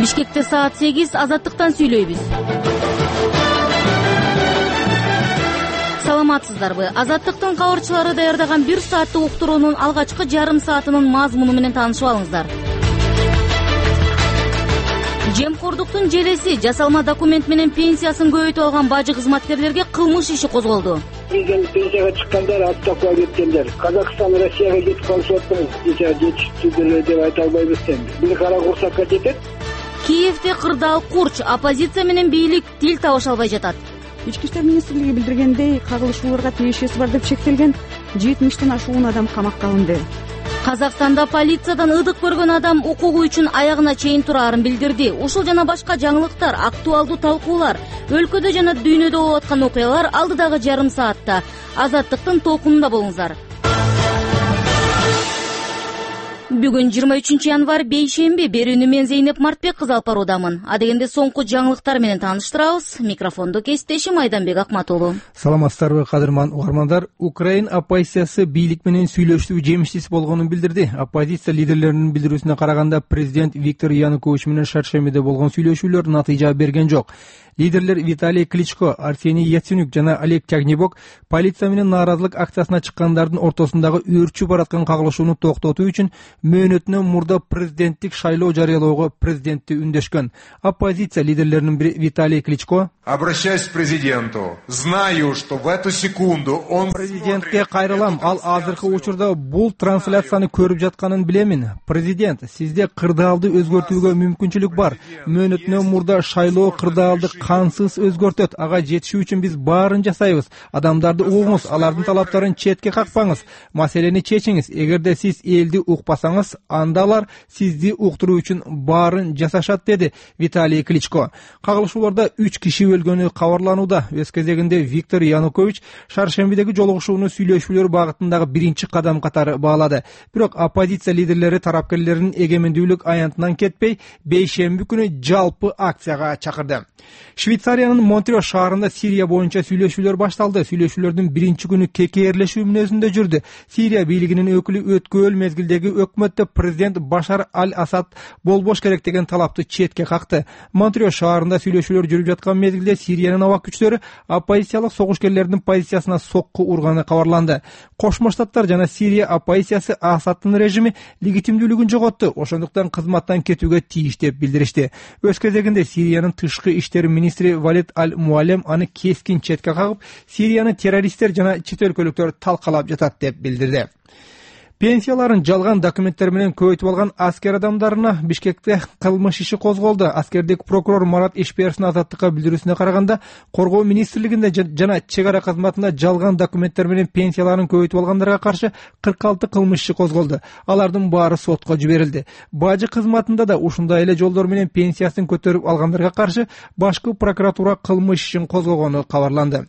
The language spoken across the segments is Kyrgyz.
Бишкекте саат 8 Азаттыктан сүйлөйбүз. Саламатсыздарбы? Азаттыктын кабарчылары даярдаган 1 сааттык уктуруунун алгачкы жарым саатынын мазмуну менен таанышып алыңыздар. Жемкордуктун желеси жасалма документ менен пенсиясын көбөйтүп алган бажы кызматкерлерге кылмыш иши козголду. Бизден пенсияга чыккандар отставкага кеткендер. Казакстан Россияга кетип калып атпайбыз. Жетиштүү деп айта албайбыз эми. Бир кара курсакка жетет. Киевде кырдаал курч, оппозиция менен бийлик тил табыша албай жатат. Ички иштер министрлиги билдиргендей, кагылышууларга тиешеси бар деп шектелген 70тен ашуун адам камакка алынды. Казакстанда полициядан ыдык көргөн адам укугу үчүн аягына чейин турарын билдирди. Ушул жана башка жаңылыктар, актуалдуу талкуулар, өлкөдө жана дүйнөдө болуп аткан окуялар алдыдагы жарым саатта. Азаттыктын толкунунда болуңуздар. Бүгүн 23 январь бейшемби. Берүүнү мен Зейнеп Мартбек кызы алып баруудамын. Адегенде соңку жаңылыктар менен тааныштырабыз. Микрофондо кесиптешим Айданбек Акматулу. Саламатсыздарбы, кадырман угармандар. Украин оппозициясы бийлик менен сүйлөшүү жемиштүү болгонун билдирди. Оппозиция лидерлеринин билдирүүсүнө караганда, президент Виктор Янукович менен шаршембиде болгон сүйлөшүүлөр натыйжа берген жок. Лидерлер Виталий Кличко, Арсений Яценюк жана Олег Тягнебок полиция менен нааразылык акциясына чыккандардын ортосундагы өөрчүп бараткан кагылышууну токтотуу үчүн мөөнөтүнөн мурда президенттик шайлоо жарыялоого президентти үндөшкөн. Оппозиция лидерлеринин бири Виталий Кличко: обращаюсь к президенту. Знаю, что в эту секунду он... Президентке кайрылам. Ал азыркы учурда бул трансляцияны көрүп жатканын билемин. Президент, сизде кырдаалды өзгөртүүгө мүмкүнчүлүк бар. Мөөнөтүнөн мурда шайлоо кырдаалды кансыз өзгөртөт. Ага жетишүү үчүн биз баарын жасайбыз. Адамдарды угуңуз, алардын талаптарын четке какпаңыз. Маселени чечиңиз. Эгерде сиз элди укпасаңыз, анда алар сизди уктуруу үчүн баарын жасашат, деди Виталий Кличко. Кагылышууларда 3 киши өлгөнү кабарланууда. Өз кезегинде Виктор Янукович шаршембидеги жолугушууну сүйлөшүүлөр багытындагы биринчи кадам катары баалады. Бирок оппозиция лидерлери тарапкерлеринин эгемендүүлүк аянтынан кетпей, бейшемби күнү жалпы акцияга чакырды. Швейцариянын Монтрео шаарында Сирия боюнча сүйлөшүүлөр башталды. Сүйлөшүүлөрдүн биринчи күнү кекээрлешүү мүнөзүндө жүрдү. Сирия бийлигинин өкүлү өткөл мезгилдеги өкмөттө президент Башар аль-Асад болбош керек деген талапты четке какты. Монтрео шаарында сүйлөшүүлөр жүрүп жаткан мезгилде Сириянын аба күчтөрү оппозициялык согушкерлердин позициясына сокку урганы кабарланды. Кошмо Штаттар жана Сирия оппозициясы Асадтын режими легитимдүүлүгүн жоготту, ошондуктан кызматтан кетүүгө тийиш деп билдиришти. Өз кезегинде Сириянын тышкы иштер министри Валид аль-Муалем аны кескин четке кагып, Сирияны террористтер жана чет өлкөлүктөр талкалап жатат деп билдирди. Пенсияларын жалган документтер менен көбөйтүп алган аскер адамдарына Бишкекте кылмыш иши козголду. Аскердик прокурор Марат Ишперовдун Азаттыкка билдирүүсүнө караганда, коргоо министрлигинде жана чек ара кызматында жалган документтер менен пенсияларын көбөйтүп алгандарга каршы 46 кылмыш иши козголду. Алардын баары сотко жиберилди. Бажы кызматында да ушундай эле жолдор менен пенсиясын көтөрүп алгандарга каршы башкы прокуратура кылмыш ишин козгогону кабарланды.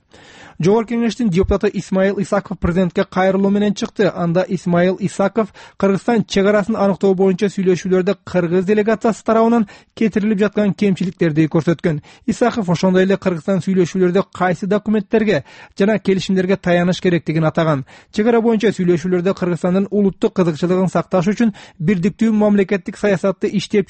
Жогорку кеңештин депутаты Исмаил Исаков президентке кайрылуу менен чыкты. Анда Исмаил Исаков Кыргызстан чек арасын аныктоо боюнча сүйлөшүүлөрдө кыргыз делегациясы тарабынан кетирилип жаткан кемчиликтерди көрсөткөн. Исаков ошондой эле Кыргызстан сүйлөшүүлөрдө кайсы документтерге жана келишимдерге таяныш керектигин атаган. Чек ара боюнча сүйлөшүүлөрдө Кыргызстандын улуттук кызыкчылыгын сакташ үчүн бирдиктүү мамлекеттик саясатты иштеп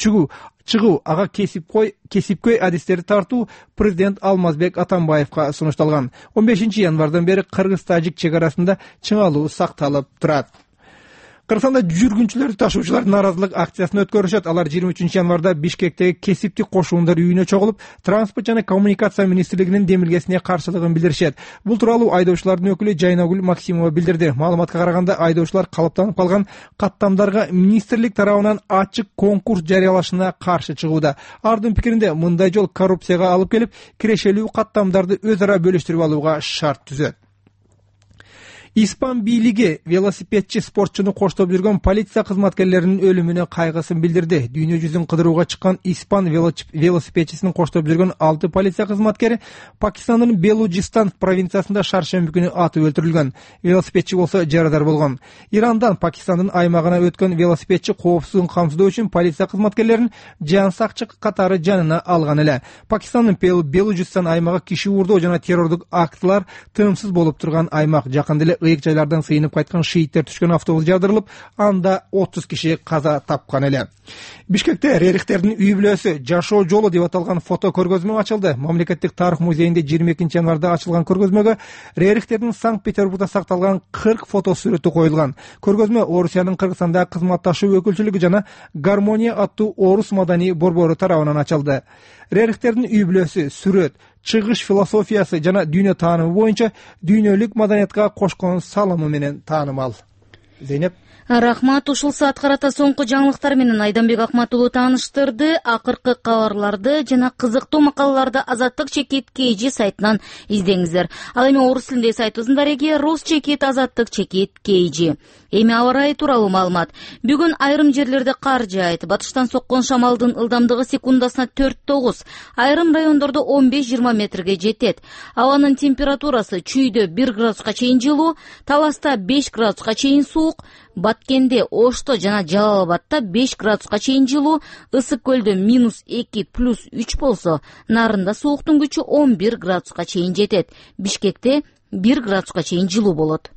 чыгуу, ага кесипкөй адистерди тартуу президент Алмазбек Атамбаевка сунушталган. 15 январдан бери кыргыз-тажик чек арасында чыңалуу сакталып турат. Кыргызстанда жүргүнчүлөрдү ташуучулар нааразылык акциясын өткөрүшөт. Алар 23 январда Бишкектеги кесиптик кошуундар үйүнө чогулуп, транспорт жана коммуникация министрлигинин демилгесине каршылыгын билдиришет. Бул тууралуу айдоочулардын өкүлү Жайнагүл Максимова билдирди. Маалыматка караганда, айдоочулар калыптанып калган каттамдарга министрлик тарабынан ачык конкурс жарыялашына каршы чыгууда. Ардын пикиринде, мындай жол коррупцияга алып келип, кирешелүү каттамдарды өз ара бөлүштүрүп алууга шарт түзөт. Испан бийлиги велосипедчи спортчуну коштоп жүргөн полиция кызматкерлеринин өлүмүнө кайгысын билдирди. Дүйнө жүзүн кыдырууга чыккан испан велосипедчисин коштоп жүргөн 6 полиция кызматкери Пакистандын Белуджистан провинциясында шаршемби күнү атып өлтүрүлгөн. Велосипедчи болсо жарадар болгон. Ирандан Пакистандын аймагына өткөн велосипедчи коопсуздугун камсыздоо үчүн полиция кызматкерлерин жан сакчы катары жанына алган эле. Пакистандын Белуджистан аймагы киши уурдоо жана террордук актылар тыымсыз болуп турган аймак. Жакында эле ыйык жайлардан сыйынып кайткан шииттер түшкөн автобус жардырылып, анда 30 киши каза тапкан эле. Бишкекте Рерихтердин үй бүлөсү жашоо жолу деп аталган фото көргөзмө ачылды. Мамлекеттик тарых музейинде 22 январда ачылган көргөзмөгө Рерихтердин Санкт-Петербургда сакталган 40 фото сүрөтү коюлган. Көргөзмө Орусиянын Кыргызстандагы кызматташуу өкүлчүлүгү жана Гармония аттуу орус маданий борбору тарабынан ачылды. Рерихтердин үй бүлөсү сүрөт, чыгыш философиясы жана дүйнө таанымы боюнча дүйнөлүк маданиятка кошкон салымы менен таанымал. Зейнеп. Рахмат. Ушул саат карата соңку жаңылыктар менен Айданбек Акматулу тааныштырды. Акыркы кабарларды жана кызыктуу макалаларды Азаттык чекит KG сайтынан издеңиздер. Ал эми орус тилиндеги сайтыбыздын дареги Рус чекит Азаттык чекит KG. Эми аба ырайы тууралуу маалымат. Бүгүн айрым жерлерде кар жаайт. Батыштан соккон шамалдын ылдамдыгы секундасына 4-9, айрым райондордо 15-20 метрге жетет. Абанын температурасы чүйдө 1 градуска чейин жылуу, Таласта 5 градуска чейин суук, Баткенде, Ошто жана Жалал-Абадта 5 градуска чейин жылуу, Ысык көлдө -2 +3 болсо, Нарында сууктун күчү 11 градуска чейин жетет. Бишкекте 1 градуска чейин жылуу болот.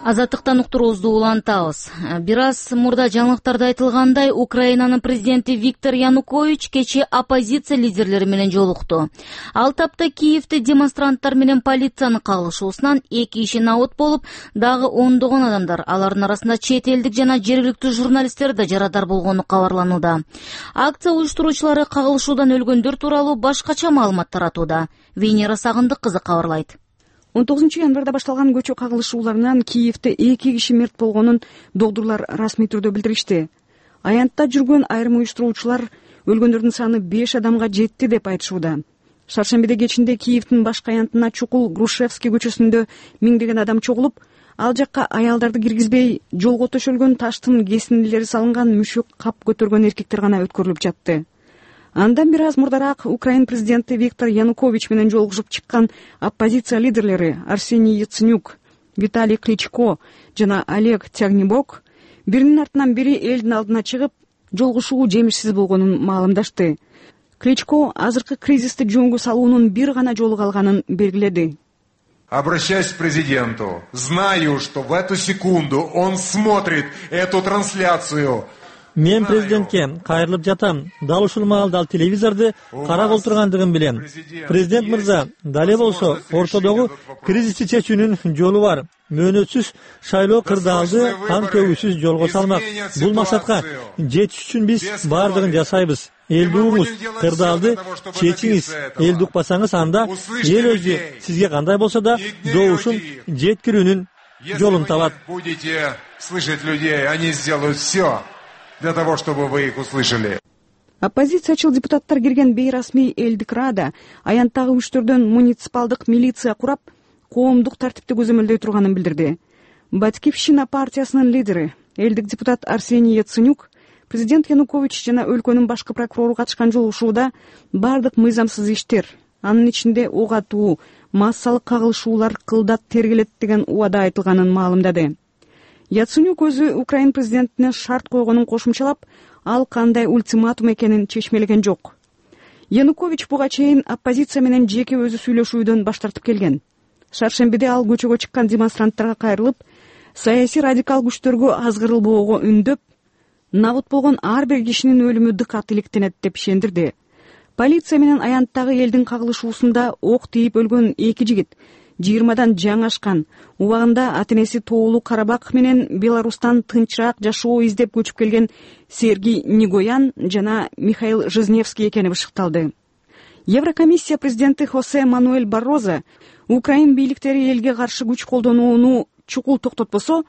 Азаттыктан уктуруубузду улантабыз. Бир аз мурда жаңылыктарда айтылгандай, Украинанын президенти Виктор Янукович кечээ оппозиция лидерлери менен жолукту. Ал тапта Киевде демонстранттар менен полициянын кагылышуусунан 2 киши набыт болуп, дагы ондогон адамдар, алардын арасында чет элдик жана жергиликтүү журналисттер да жарадар болгону кабарланууда. Акция уюштуруучулары кагылышуудан өлгөндөр тууралуу башкача маалымат таратууда. Венера Сагындык кызы кабарлайт. 19 январда башталган көчө кагылышууларынан Киевде 2 киши мерт болгонун докторлор расмий түрдө билдиришти. Аянтта жүргөн айрым уюштуруучулар өлгөндөрдүн саны 5 адамга жетти деп айтышууда. Шаршембиде кечинде Киевдин башкы аянтына чукул Грушевский көчөсүндө миңдеген адам чогулуп, ал жакка аялдарды киргизбей, жолго төшөлгөн таштын кесиндилери салынган мүшөк кап көтөргөн эркектер гана өткөрүлүп жатты. Андан бир аз мурдараак Украин президенти Виктор Янукович менен жолугушуп чыккан оппозиция лидерлери Арсений Яценюк, Виталий Кличко жана Олег Тягнебок биринин артынан бири элдин алдына чыгып, жолугушуу жемишсиз болгонун маалымдашты. Кличко азыркы кризисти жөнгө салуунун бир гана жолу калганын белгиледи. Обращаюсь к президенту. Знаю, что в эту секунду он смотрит эту трансляцию. Мен президентке кайрылып жатам. Дал ушул маалда ал телевизорду карап отургандыгын билем. Президент мырза, дале болсо ортодогу кризисти чечүүнүн жолу бар. Мөөнөтсүз шайлоо кырдаалды кан төгүүсүз жолго салмак. Бул максатка жетиш үчүн биз бардыгын жасайбыз. Элди угуңуз, кырдаалды чечиңиз. Элди укпасаңыз, анда эл өзү сизге кандай болсо да добушун жеткирүүнүн жолун табат. Будете слышать людей, они сделают все для того, чтобы вы их услышали. Оппозициячыл депутаттар кирген бейрасмий элдик рада аянттагы күчтөрдөн муниципалдык милиция курап, коомдук тартипти көзөмөлдөй турганын билдирди. Батькивщина партиясынын лидери, элдик депутат Арсений Яценюк, президент Янукович жана өлкөнүн башкы прокурору катышкан жолугушууда бардык мыйзамсыз иштер, анын ичинде ок атуу, массалык кагылышуулар кылдат тергелет деген убада айтылганын маалымдады. Яценюк өзү Украин президентине шарт койгонун кошумчалап, ал кандай ультиматум экенин чечмелеген жок. Янукович буга чейин оппозиция менен жеке өзү сүйлөшүүдөн баш тартып келген. Шаршембиде ал көчөгө чыккан демонстранттарга кайрылып, саясий радикал күчтөргө азгырылбоого үндөп, набыт болгон ар бир кишинин өлүмү дыкат иликтенет деп ишендирди. Полиция менен аянттагы элдин кагылышуусунда ок тийип өлгөн 2 жигит 20дан жаңашкан, убагында ата-энеси Тоолуу Карабак менен Беларустан тынчыраак жашоо издеп көчүп келген Сергей Негоян жана Михаил Жизневский экени бышыкталды. Еврокомиссия президенти Хосе Мануэль Барроза Украин бийликтери элге каршы күч колдонууну чукул токтотпосо,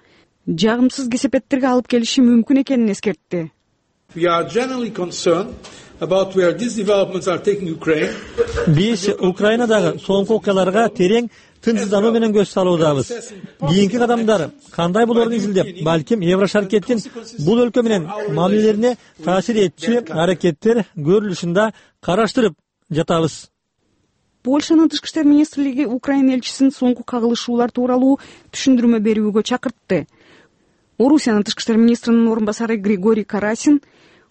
жагымсыз кесепеттерге алып келиши мүмкүн экенин эскертти. Биз Украинадагы соңку окуяларга терең тынчсыздануу менен көз салуудабыз. Кийинки кадамдар кандай болорун изилдеп, балким Еврошаркеттин бул өлкө менен мамилелерине таасир этчү аракеттер көрүлүшүндө караштырып жатабыз. Польшанын тышкы иштер министрлиги Украин элчисин соңку кагылышуулар тууралуу түшүндүрмө берүүгө чакыртты. Орусиянын тышкы иштер министринин орун басары Григорий Карасин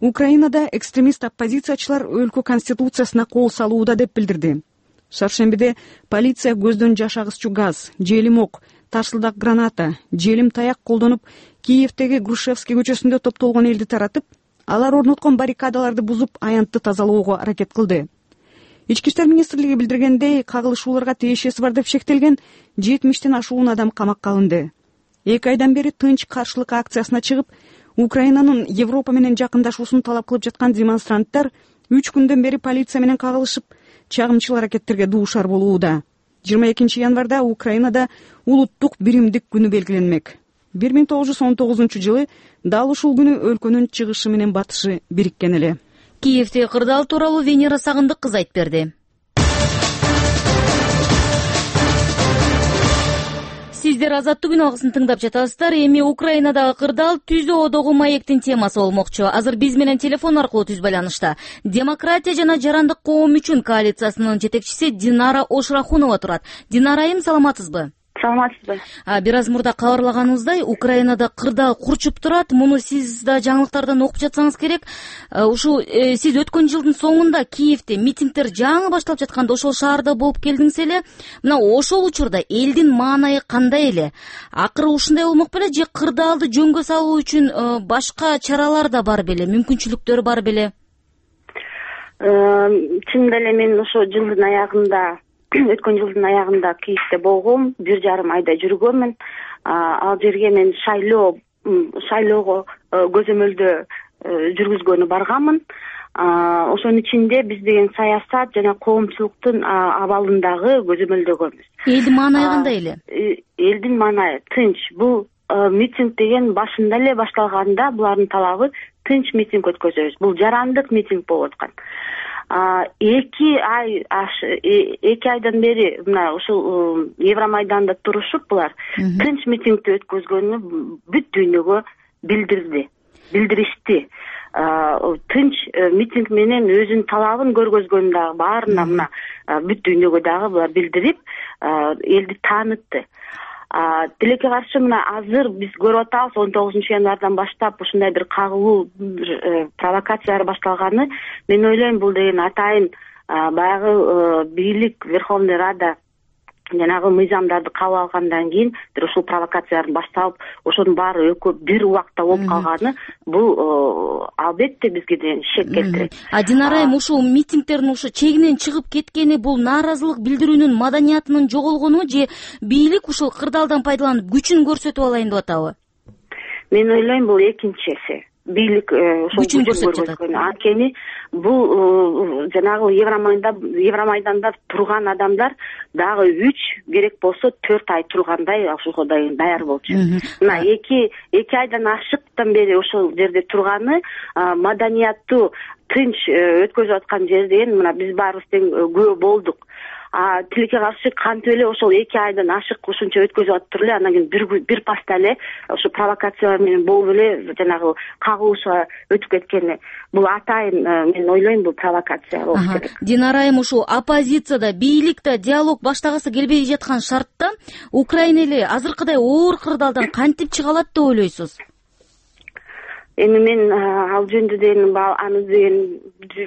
Украинада экстремист оппозициячылар өлкө конституциясына кол салууда деп билдирди. Шаршембиде полиция көздөн жаш агызчу газ, желим ок, тарсылдак граната, желим таяк колдонуп Киевдеги Грушевский көчөсүндө топтолгон элди таратып, алар орноткон баррикадаларды бузуп, аянтты тазалоого аракет кылды. Ички иштер министрлиги билдиргендей, кагылышууларга тиешеси бар деп шектелген 70тен ашуун адам камакка алынды. 2 айдан бери тынч каршылык акциясына чыгып, Украинанын Европа менен жакындашуусун талап кылып жаткан демонстранттар 3 күндөн бери полиция менен кагылышып, чагымчыл аракеттерге дуушар болууда. 22 январда Украинада улуттук биримдик күнү белгиленмек. 1919 дал ушул күнү өлкөнүн чыгышы менен батышы бириккен эле. Киевде кырдаал тууралуу Венера Сагындык кыз айтып берди. Сиздер Азаттык күн алгысын тыңдап жатасыздар. Эми Украинадагы кырдаал Түзө одогу маектин темасы болмокчу. Азыр биз менен телефон аркылуу түз байланышта Демократия жана жарандык коом үчүн коалициясынын жетекчиси Динара Ошрахунова турат. Динара айым, саламатсызбы? Саламатсызбы. Бир аз мурда кабарлаганыбыздай, Украинада кырдаал курчуп турат. Муну сиз да жаңылыктардан окуп жатсаңыз керек. Ушу сиз өткөн жылдын соңунда Киевде митингдер жаңы башталып жатканда ошол шаарда болуп келдиңиз эле. Мына ошол учурда элдин маанайы кандай эле? Акыры ушундай болмок беле же кырдаалды жөнгө салуу үчүн башка чаралар да бар беле, мүмкүнчүлүктөр бар беле? Чынында эле мен ошо жылдын аягында өткөн жылдын аягында Киевде болгом, 1,5 айда жүргөнмүн. Ал жерге мен шайлоого көзөмөлдө жүргүзгөнү барганмын. Ошонун ичинде биз деген саясат жана коомчулуктун абалындагы көзөмөлдөгөнбүз. Элдин маанайы кандай эле? Элдин маанайы тынч. Бул митинг деген башында эле башталганда булардын талабы тынч митинг өткөзөбүз. Бул жарандык митинг болуп аткан. 2 айдан бери мына ушул Евромайданда турушуп булар тынч митингди өткөзгөнү бүт дүйнөгө билдиришти. Тынч митинг менен өзүнүн талабын көргөзгөнү дагы баарына мына бүт дүйнөгө дагы булар билдирип, элди таанытты. Тилекке каршы мына азыр биз көрүп атабыз 19 январдан баштап ушундай бир кагылуу провокациялар башталганы. Мен ойлойм бул деген атайын баягы бийлик Верховный Рада жанагы мыйзамдарды кабыл алгандан кийин бир ушул провокациялардын башталып, ошонун баары экөө бир убакта болуп калганы бул албетте бизге деген шек келтирет. Динара айым, ушул митингдердин ушу чегинен чыгып кеткени бул нааразылык билдирүүнүн маданиятынын жоголгону же бийлик ушул кырдаалдан пайдаланып күчүн көрсөтүп алайын деп атабы? Мен ойлойм бул экинчиси. Бийлик ошол күчүн көрсөткөн. Анткени бул жанагы Евромайданда турган адамдар дагы 3 керек болсо 4 ай тургандай ошого даяр болчу. Мына 2 айдан ашыктан бери ошол жерде турганы маданияттуу тынч өткөзүп аткан жерден мына биз баарыбыз тең күбө болдук. Тилекке каршы кантип эле ошол 2 айдан ашык ушунча өткөзүп атыптыр эле, андан кийин бир паста эле ошо провокациялар менен болуп эле жанагы кагылышууга өтүп кеткени бул атайын мен ойлойм бул провокация болуш керек. Динара айым, ушул оппозицияда бийликте диалог баштагысы келбей жаткан шартта Украина эле азыркыдай оор кырдаалдан кантип чыга алат деп ойлойсуз? Эми мен ал жөнүндө деген аны деген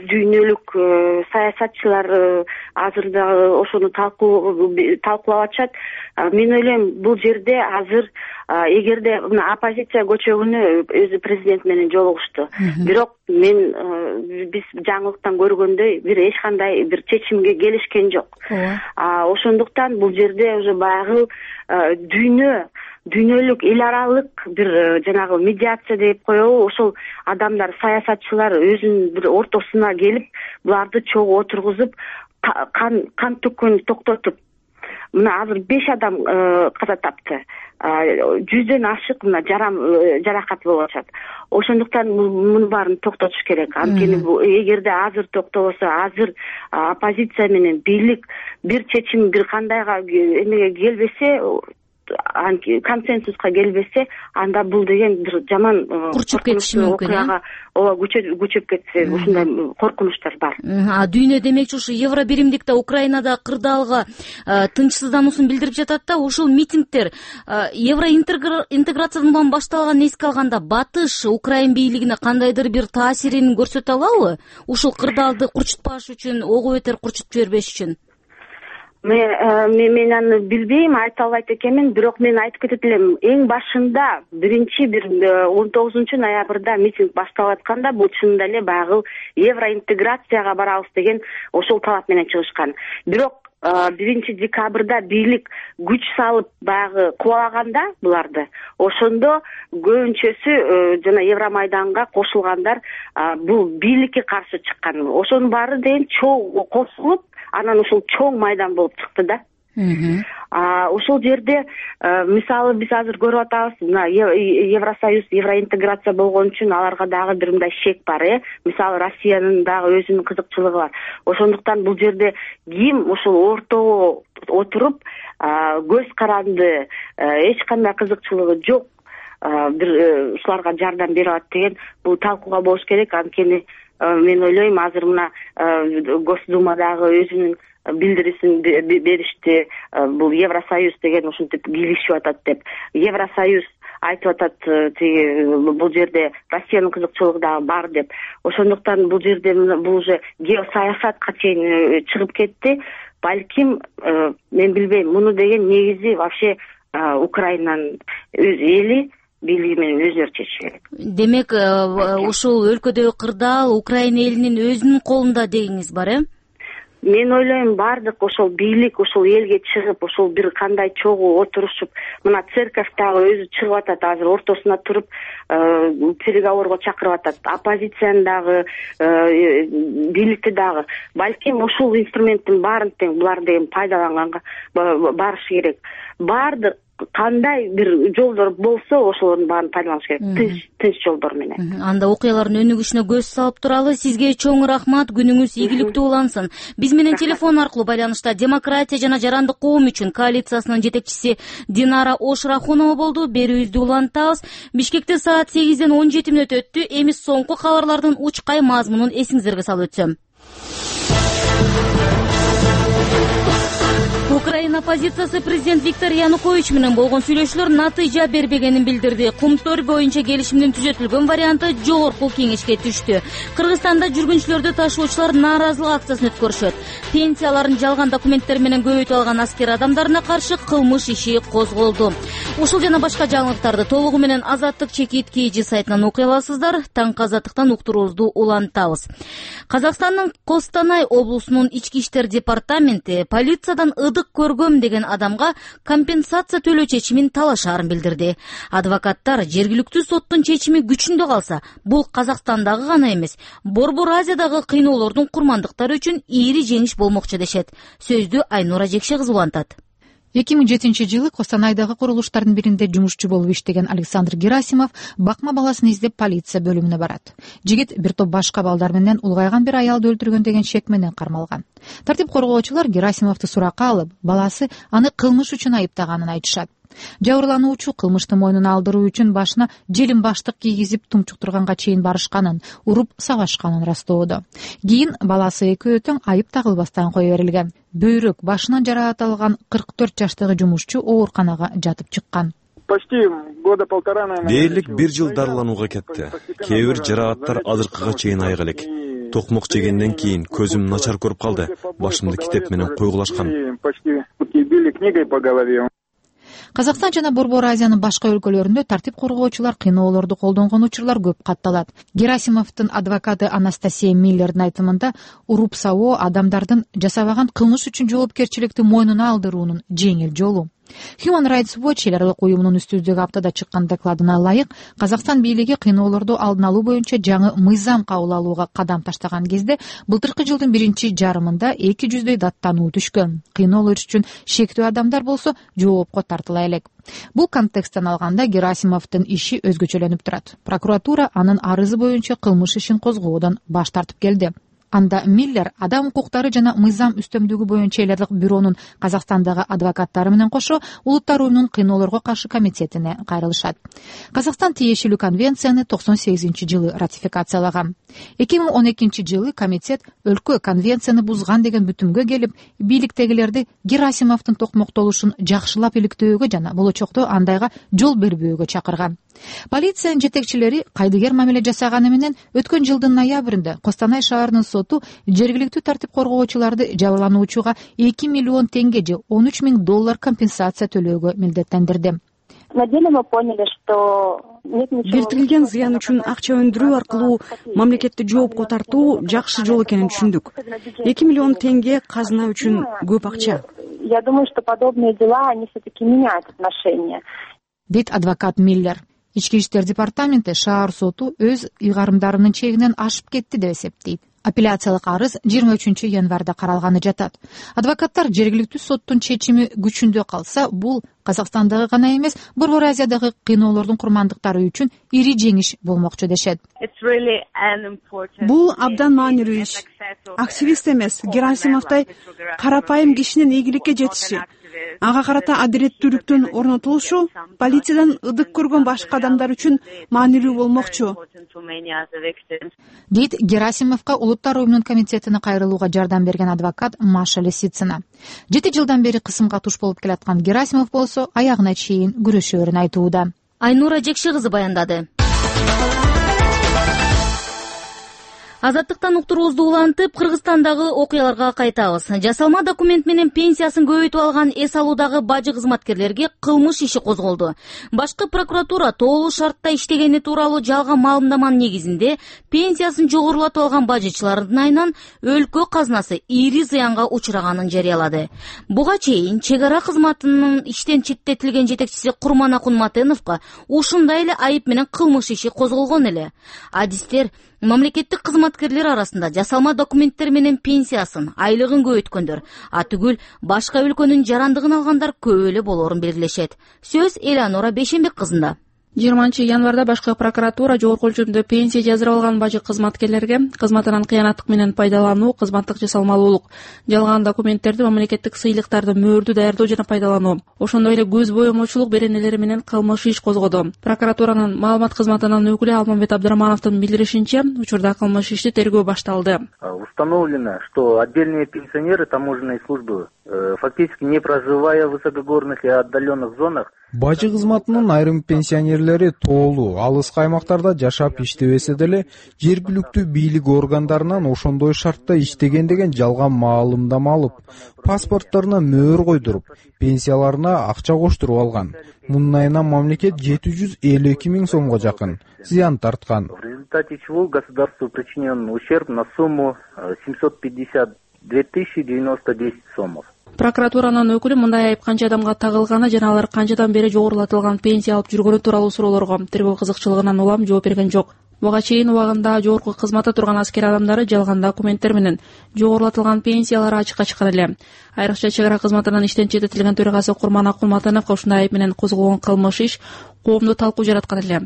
дүйнөлүк саясатчылар азыр дагы ошону талкуулап атышат. Мен ойлойм бул жерде азыр эгерде мына оппозиция көчөгүнү өзү президент менен жолугушту. Бирок мен биз жаңылыктан көргөндөй бир эч кандай бир чечимге келишкен жок. Ошондуктан бул жерде уже баягы дүйнөлүк эл аралык бир жанагы медиация деп коебу, ошол адамдар, саясатчылар өзүнүн бир ортосуна келип, буларды чогуу отургузуп, кан төккөнү токтотуп, мына азыр 5 адам каза тапты. 100дөн ашык мына жаракат болуп атат. Ошондуктан муну баарын токтотуш керек. Анткени эгерде азыр токтобосо, азыр оппозиция менен бийлик бир чечим бир кандайга эмеге келбесе, консенсуска келбесе, анда бул деген бир жаман курчуп кетиши мүмкүн. Ооба, күчөп кетсе, ушундай коркунучтар бар. Дүйнө демекчи ушу Евро биримдикте Украинада кырдаалга тынчсыздануусун билдирип жатат да, ушул митингдер евро интеграциядан башталганын эске алганда батыш Украин бийлигине кандайдыр бир таасирин көрсөтө алабы? Ушул кырдаалды курчутпаш үчүн, ого бетер курчутуп жибербеш үчүн. Мен аны билбейм, айта албайт экенмин, бирок мен айтып кетет элем, эң башында 19 ноябрда митинг башталып атканда бул чынында эле баягы евроинтеграцияга барабыз деген ошол талап менен чыгышкан. Бирок 1 декабрда бийлик күч салып баягы кубалаганда буларды, ошондо көбүнчөсү жана Евромайданга кошулгандар бул бийликке каршы чыккан. Ошонун баары деген чоң косулуп, анан ушул чоң майдан болуп чыкты да. Ушул жерде мисалы биз азыр көрүп атабыз, мына Евросоюз, евроинтеграция болгон үчүн аларга дагы бир мындай шек бар, мисалы Россиянын дагы өзүнүн кызыкчылыгы бар. Ошондуктан бул жерде ким ушул ортого отуруп көз каранды, эч кандай кызыкчылыгы жок бир ушуларга жардам берип атат деген бул талкууга болуш керек. Анткени мен ойлойм, азыр мына Госдумадагы өзүнүн билдирисин беришти, бул Евросоюз деген ушинтип кийлишип атат деп. Евросоюз айтып атат, бул жерде Россиянын кызыкчылыгы дагы бар деп. Ошондуктан бул жерде бул уже геосаясатка чейин чыгып кетти. Балким, мен билбейм, муну деген негизи вообще Украинанын өз эли бийлиги менен өзүлөрү чечиш керек. Демек, ушул өлкөдөгү кырдаал Украина элинин өзүнүн колунда дегениңиз бар, Мен ойлойм, бардык ошол бийлик ушул элге чыгып, ушул бир кандай чогуу отурушуп, мына церковь дагы өзү чыгып атат, азыр ортосуна туруп переговорго чакырып атат. Оппозицияны дагы, бийликти дагы. Балким ушул инструменттин баарын тең булар деген пайдаланганга барыш керек. Бардык кандай бир жолдор болсо, ошолордун баарын пайдаланыш керек. Тынч жолдор менен. Анда окуялардын өнүгүшүнө көз салып туралы. Сизге чоң рахмат, күнүңүз ийгиликтүү улансын. Биз менен телефон аркылуу байланышта Демократия жана жарандык коом үчүн коалициясынын жетекчиси Динара Ошрахунова болду. Берүүбүздү улантабыз. Бишкекте саат 8ден 17 мүнөт өттү. Эми соңку кабарлардын учкай мазмунун эсиңиздерге салып өтсөм. Украина оппозициясы президент Виктор Янукович менен болгон сүйлөшүүлөр натыйжа бербегенин билдирди. Кумтөр боюнча келишимдин түзөтүлгөн варианты жогорку кеңешке түштү. Кыргызстанда жүргүнчүлөрдү ташуучулар нааразылык акциясын өткөрүшөт. Пенсияларын жалган документтер менен көбөйтүп алган аскер адамдарына каршы кылмыш иши козголду. Ушул жана башка жаңылыктарды толугу менен Азаттык чекит KG сайтынан окуй аласыздар. Таңкы Азаттыктан уктуруубузду улантабыз. Казакстандын Костанай облусунун ички иштер департаменти полициядан ыдык көргөм деген адамга компенсация төлөө чечимин талашаарын билдирди. Адвокаттар жергиликтүү соттун чечими күчүндө калса, бул Казакстандагы гана эмес, Борбор Азиядагы кыйноолордун курмандыктары үчүн ийри жеңиш болмокчу дешет. Сөздү Айнура Жекше кызы улантат. 2007-жылы Костанайдагы курулуштардын биринде жумушчу болуп иштеген Александр Герасимов бакма баласын издеп полиция бөлүмүнө барат. Жигит бир топ башка балдар менен улгайган бир аялды өлтүргөн деген шек менен кармалган. Тартип коргоочулар Герасимовду суракка алып, баласы аны кылмыш үчүн айыптаганын айтышат. Жабырлануучу кылмышты мойнуна алдыруу үчүн башына желим баштык кийгизип тумчуктурганга чейин барышканын, уруп сабашканын растоодо. Кийин баласы экөө тең айып тагылбастан кое берилген. Бөйрөк, башынан жараат алган 44 жаштагы жумушчу ооруканага жатып чыккан. Дээрлик 1 жыл дарыланууга кетти. Кээ бир жарааттар азыркыга чейин айык элек. Токмок жегенден кийин көзүм начар көрүп калды. Башымды китеп менен койгулашкан. Казакстан жана Борбор Азиянын башка өлкөлөрүндө тартип коргоочулар кыйноолорду колдонгон учурлар көп катталат. Герасимовдун адвокаты Анастасия Миллердин айтымында, уруп сабоо адамдардын жасабаган кылмыш үчүн жоопкерчиликти мойнуна алдыруунун жеңил жолу. Human Rights Watch эл аралык уюмунун үстүздөгү аптада чыккан докладына ылайык, Казакстан бийлиги кыйноолорду алдын алуу боюнча жаңы мыйзам кабыл алууга кадам таштаган кезде былтыркы жылдын 1-жарымында 200дөй даттануу түшкөн. Кыйноолор үчүн шектүү адамдар болсо жоопко тартыла элек. Бул контексттен алганда Герасимовдун иши өзгөчөлөнүп турат. Прокуратура анын арызы боюнча кылмыш ишин козгоодон баш тартып келди. Анда Миллер адам укуктары жана мыйзам үстөмдүгү боюнча эл азаттык бюронун Казакстандагы адвокаттары менен кошо Улуттар уюмунун кыйноолорго каршы комитетине кайрылышат. Казакстан тиешелүү конвенцияны 98-жылы ратификациялаган. 2012-жылы комитет өлкө конвенцияны бузган деген бүтүмгө келип, бийликтегилерди Герасимовдун токмоктолушун жакшылап иликтөөгө жана болочокто андайга жол бербөөгө чакырган. Полициянын жетекчилери кайдыгер мамиле жасаганы менен өткөн жылдын ноябрында Костанай шаарынын соту жергиликтүү тартип коргоочуларды жабырлануучуга 2 миллион тенге же $13,000 компенсация төлөөгө милдеттендирди. На деле мы поняли, что келтирилген зыян үчүн акча өндүрүү аркылуу мамлекетти жоопко тартуу жакшы жол экенин түшүндүк. 2 миллион тенге казына үчүн көп акча. Я думаю, что подобные дела, они все-таки меняют отношения. Дейт адвокат Миллер. Ички иштер департаменти шаар соту өз ыйгарымдарынын чегинен ашып кетти деп эсептейт. Апелляциялык арыз 23 январда каралганы жатат. Адвокаттар жергиликтүү соттун чечими күчүндө калса, бул Казакстандагы гана эмес, Борбор Азиядагы кыйноолордун курмандыктары үчүн ири жеңиш болмокчу дешет. Бул абдан маанилүү иш. Активист эмес, Герасимовдой карапайым кишинин ийгиликке жетиши, ага карата адилеттүүлүктүн орнотулушу полициядан ыдык көргөн башка адамдар үчүн маанилүү болмокчу. Дейт Герасимовго Улуттар уюмунун комитетине кайрылууга жардам берген адвокат Маша Лисицына. 7 жылдан бери кысымга туш болуп келаткан Герасимов болсо аягына чейин күрөшөөрүн айтууда. Айнура Жекши кызы баяндады. Азаттыктан уктуруубузду улантып, Кыргызстандагы окуяларга кайтабыз. Жасалма документ менен пенсиясын көбөйтүп алган эс алуудагы бажы кызматкерлерге кылмыш иши козголду. Башкы прокуратура тоолуу шартта иштегени тууралуу жалган маалымдаманын негизинде пенсиясын жогорулатып алган бажычылардын айынан өлкө казынасы ири зыянга учураганын жарыялады. Буга чейин чек ара кызматынын иштен четтетилген жетекчиси Курманакун Матеновго ушундай эле айып менен кылмыш иши козголгон эле. Адистер мамлекеттик кызматкерлер арасында жасалма документтер менен пенсиясын, айлыгын көбөйткөндөр, түгүл башка өлкөнүн жарандыгын алгандар көп эле болоорун белгилешет. Сөз Элеонора Бейшенбек кызында. 20 январда башкы прокуратура жогорку өлчөмдө пенсия жаздырып алган бажы кызматкерлерге кызматынан кыянаттык менен пайдалануу, кызматтык жасалмалуулук, жалган документтерди, мамлекеттик сыйлыктарды мөөрдүү даярдоо жана пайдалануу, ошондой эле көз боемочулук беренелери менен кылмыш иш козгоду. Прокуратуранын маалымат кызматынын өкүлү Алмамбет Абдырамановдун билдиришинче, учурда кылмыш ишти тергөө башталды. Установлено, что отдельные пенсионеры таможенной службы, фактически не проживая в высокогорных и отдаленных зонах, бажы кызматынын айрым пенсионерлери тоолуу, алыс аймактарда жашап иштебесе деле, жергиликтүү бийлик органдарынан ошондой шартта иштеген деген жалган маалымдама алып, паспорттарына мөөр койдуруп, пенсияларына акча коштуруп алган. Мунун айынан мамлекет 752 000 сомго жакын зыян тарткан. В результате чего государству причинен ущерб на сумму 752 090 сомов. Прокуратуранын өкүлү мындай айып канча адамга тагылганы жана алар канчадан бери жогорулатылган пенсия алып жүргөнү тууралуу суроолорго тергөө кызыкчылыгынан улам жооп берген жок. Буга чейин убагында жогорку кызматта турган аскер адамдары жалган документтер менен жогорулатылган пенсиялары ачыкка чыккан эле. Айрыкча чек ара кызматынан иштен четтетилген төрагасы Курманакун Матеновго ушундай айып менен козголгон кылмыш иш коомдо талкуу жараткан эле.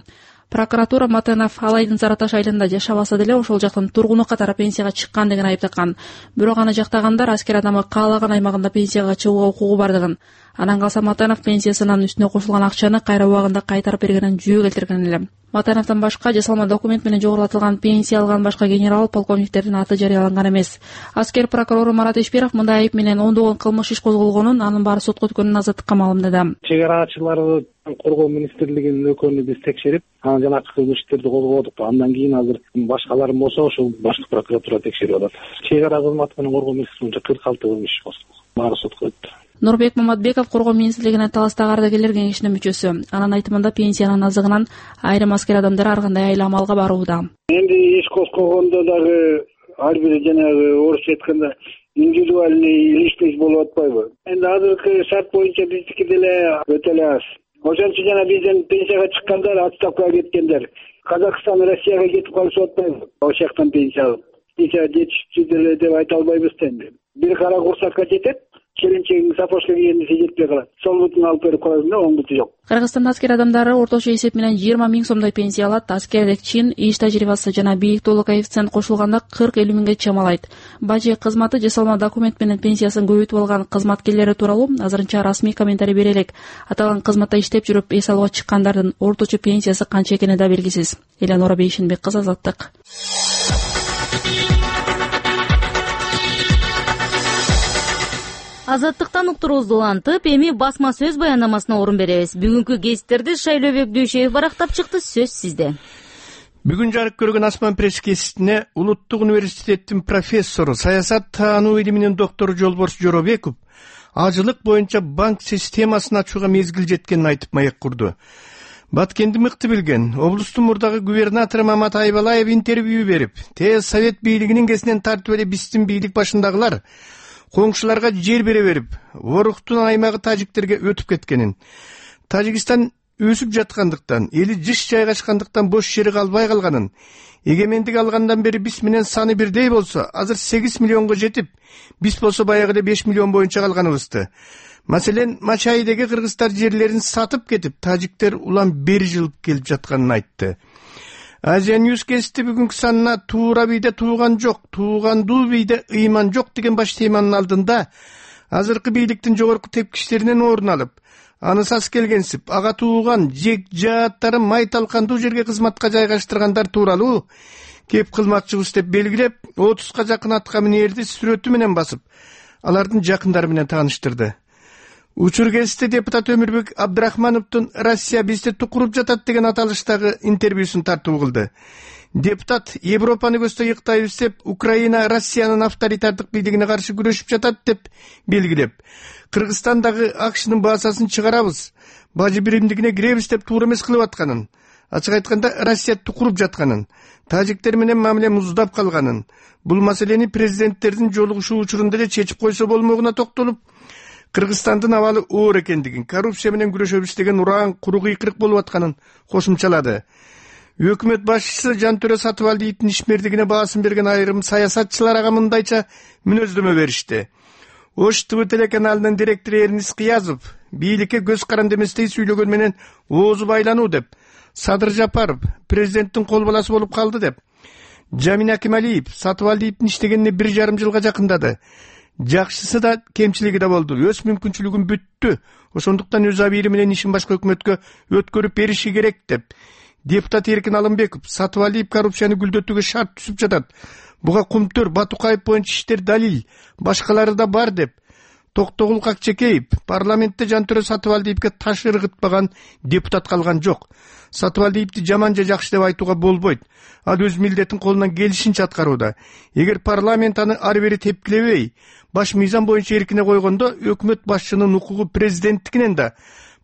Прокуратура Матенов Алайдын Зараташ айылында жашабаса деле ошол жактын тургуну катары пенсияга чыккан деген айып таккан. Бирок аны жактагандар аскер адамы каалаган аймагында пенсияга чыгууга укугу бардыгын. Анан калса Матенов пенсиясынын үстүнө кошулган акчаны кайра убагында кайтарып бергенин жүйө келтирген эле. Матеновдон башка жасалма документ менен жогорулатылган пенсия алган башка генерал полковниктердин аты жарыяланган эмес. Аскер прокурору Марат Ишбиров мындай айып менен ондогон кылмыш иш козголгонун, анын баары сотко өткөнүн азаттыкка маалымдады. Чек арачыларды коргоо министрлигинин өкүлүн биз текшерип, анан жанакы кылмыш иштерди козгодук. Андан кийин азыр башкаларын болсо ошол башкы прокуратура текшерип атат. Чек ара кызматы менен коргоо министрлигинче 46 кылмыш иш козголгон. Баары сотко өттү. Нурбек Маматбеков коргоо министрлигинин таластагы ардагерлер кеңешинин мүчөсү. Анын айтымында пенсиянын азыгынан айрым аскер адамдар ар кандай айла амалга барууда. Энди иш козгогондо дагы ар бир жанагы орусча айтканда индивидуальный личность болуп атпайбы? Энди азыркы шарт боюнча биздики деле өтө эле аз. Ошон үчүн жана бизден пенсияга чыккандар, отставкага кеткендер, Казакстан Россияга кетип калышып атпайбы? Ошол жактан пенсия алып. Пенсия жетиштүү деле деп айта албайбыз энди. Бир кара курсакка жетет, келинчегиң сапожка кийгенде сен жетпей калат. Сол бутун алып берип коесуң да, оң буту жок. Кыргызстанда аскер адамдары орточо эсеп менен 20 миң сомдой пенсия алат. Аскерлик чин, иш тажрыйбасы жана бийиктүүлүк коэффициент кошулганда 40-50 миңге чамалайт. Бажы кызматы жасалма документ менен пенсиясын көбөйтүп алган кызматкерлери тууралуу азырынча расмий комментарий бере элек. Аталган кызматта иштеп жүрүп эс алууга чыккандардын орточо пенсиясы канча экени да белгисиз. Эланора Бейшенбек кызы, Азаттык. Азаттыктан уктуруубузду улантып, эми басма сөз баяндамасына орун беребиз. Бүгүнкү гезиттерди Шайлообек Дүйшөев барактап чыкты. Сөз сизде. Бүгүн жарык көргөн Асман пресс гезитине Улуттук университеттин профессору, саясат таануу илиминин доктору Жолборс Жоробеков ажылык боюнча банк системасын ачууга мезгил жеткенин айтып маек курду. Баткенди мыкты билген облустун мурдагы губернатору Мамат Айбалаев интервью берип, тез совет бийлигинин кесинен тартып эле биздин бийлик башындагылар коңшуларга жер бере берип, Воруктун аймагы тажиктерге өтүп кеткенин, Тажикстан өсүп жаткандыктан, эли жыш жайгашкандыктан бош жери калбай калганын, эгемендик алгандан бери биз менен саны бирдей болсо, азыр 8 миллионго жетип, биз болсо баягы эле 5 миллион боюнча калганыбызды. Маселен, Мачайдеги кыргыздар жерлерин сатып кетип, тажиктер улам бери жылып келип жатканын айтты. Азия Ньюс гезити бүгүнкү санына туура бийде тууган жок, туугандуу бийде ыйман жок деген баш теманын алдында азыркы бийликтин жогорку тепкичтеринен орун алып, аны сас келгенсип, ага тууган жек жааттары май талкандуу жерге кызматка жайгаштыргандар тууралуу кеп кылмакчыбыз деп белгилеп, 30га жакын атка минерди сүрөтү менен басып, алардын жакындары менен тааныштырды. Учур гезити депутат Өмүрбек Абдрахмановдун Россия бизди тукуруп жатат деген аталыштагы интервьюсун тартуу кылды. Депутат Европаны көздөй ыктайбыз деп, Украина Россиянын авторитардык бийлигине каршы күрөшүп жатат деп белгилеп, Кыргызстандагы акшнын баасасын чыгарабыз, бажы биримдигине киребиз деп туура эмес кылып атканын, ачык айтканда Россия тукуруп жатканын, тажиктер менен мамиле муздап калганын, бул маселени президенттердин жолугушуу учурунда эле чечип койсо болмогуна токтолуп, Кыргызстандын абалы оор экендигин, коррупция менен күрөшөбүз деген ураан куру кыйкырык болуп атканын кошумчалады. Өкмөт башчысы Жантөрө Сатыбалдиевдин ишмердигине баасын берген айрым саясатчылар ага мындайча мүнөздөмө беришти. Ош ТВ телеканалынын директору Эрнис Кыязов бийликке көз каранды эместей сүйлөгөн менен оозу байлануу деп, Садыр Жапаров президенттин кол баласы болуп калды деп, Жамин Акималиев Сатыбалдиевдин иштегенине 1,5 жылга жакындады. Жакшысы да, кемчилиги да болду. Өз мүмкүнчүлүгүн бүттү. Ошондуктан өз абийири менен ишин башка өкмөткө өткөрүп бериши керек деп. Депутат Эркин Алымбеков Сатыбалдиев коррупцияны гүлдөтүүгө шарт түзүп жатат. Буга Кумтөр, Батукаев боюнча иштер далил, башкалары да бар деп. Токтогул Какчекеев парламентте Жантөрө Сатыбалдиевге таш ыргытпаган депутат калган жок. Сатыбалдиевди жаман же жакшы деп айтууга болбойт. Ал өз милдетин колунан келишинче аткарууда. Эгер парламент аны ары бери тепкилебей, баш мыйзам боюнча эркине койгондо, өкмөт башчынын укугу президенттикинен да,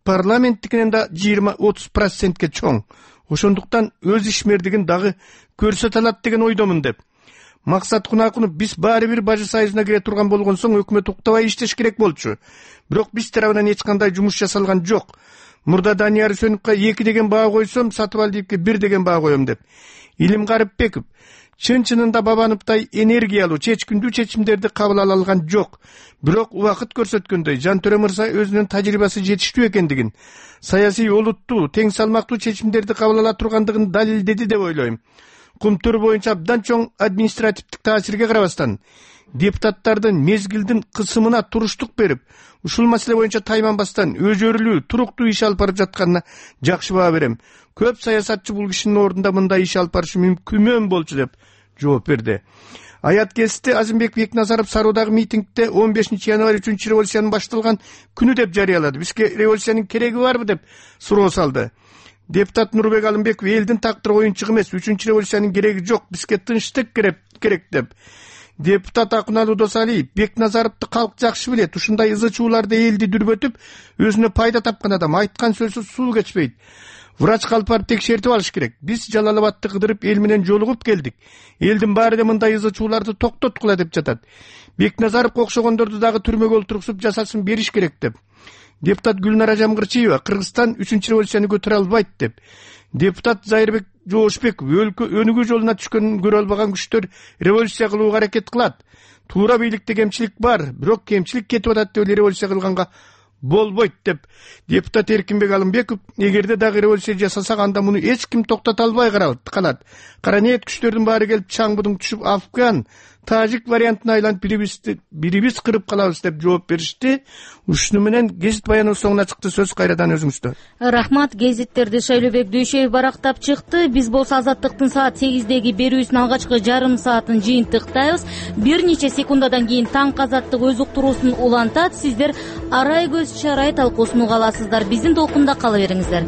парламенттикинен да 20-30%ке чоң. Ошондуктан өз ишмердигин дагы көрсөтө алат деген ойдомун деп. Максат Кунакунов биз баары бир Бажы союзуна кире турган болгон соң өкмөт уктабай иштеш керек болчу. Бирок биз тарабынан эч кандай жумуш жасалган жок. Мурда Данияр Сөнүккө 2 деген баа койсом, Сатыбалдиевге 1 деген баа коем деп. Илим Карыпбеков чын-чынында Бабановдай энергиялуу, чечкиндүү чечимдерди кабыл ала алган жок. Бирок убакыт көрсөткөндөй Жантөрө мырза өзүнүн тажрыйбасы жетиштүү экендигин, саясий олуттуу, тең салмактуу чечимдерди кабыл ала тургандыгын далилдеди деп ойлойм. Кумтөр боюнча абдан чоң административдик таасирге карабастан, депутаттардын мезгилдин кысымына туруштук берип, ушул маселе боюнча тайманбастан өзөрүлүү, туруктуу иш алып барып жатканына жакшы баа берем. Көп саясатчы бул кишинин ордунда мындай иш алып барышы мүмкүн болчу деп жооп берди. Аят гезити Азимбек Бекназаров Саруудагы митингде 15 январь 3 революциянын башталган күнү деп жарыялады. Бизге революциянын кереги барбы деп суроо салды. Депутат Нурбек Алымбеков элдин тактыры оюнчук эмес, 3-революциянын кереги жок, бизге тынчтык керек деп. Депутат Акуналуу Досалиев Бекназаровду калк жакшы билет, ушундай ызы чууларды элди дүрбөтүп, өзүнө пайда тапкан адам, айткан сөзү суу кечпейт. Врач калып барып текшертип алыш керек. Биз Жалалабадты кыдырып эл менен жолугуп келдик. Элдин баары да мындай ызы чууларды токтоткула деп жатат. Бекназаровго окшогондорду дагы түрмөгө олтургузуп жазасын бериш керек деп. Депутат Гүлнара Жамгырчиева Кыргызстан 3-революцияны көтөрө албайт деп. Депутат Зайырбек Жоошбеков өнүгүү жолуна түшкөнүн көрө албаган күчтөр революция кылууга аракет кылат. туура бийликте кемчилик бар, бирок кемчилик кетип атат деп революция кылганга болбойт деп депутат Эркинбек Алымбеков эгерде дагы революция жасасак анда муну эч ким токтото албай калат. Кара ниет күчтөрдүн баары келип чаңбудуң түшүп Афган, Тажик вариантына айланып бирибиз кырып калабыз деп жооп беришти. Ушуну менен гезит баяныбыз соңуна чыкты. Сөз кайрадан өзүңүздө. Рахмат. Гезиттерди Шайлообек Дүйшөев барактап чыкты. Биз болсо Азаттыктын саат 8деги берүүсүнүн алгачкы жарым саатын жыйынтыктайбыз. Бир нече секундадан кийин Таңк Азаттык өз уктуруусун улантат. Сиздер Арай көз чарай талкуусун уга аласыздар. Биздин толкунда кала бериңиздер.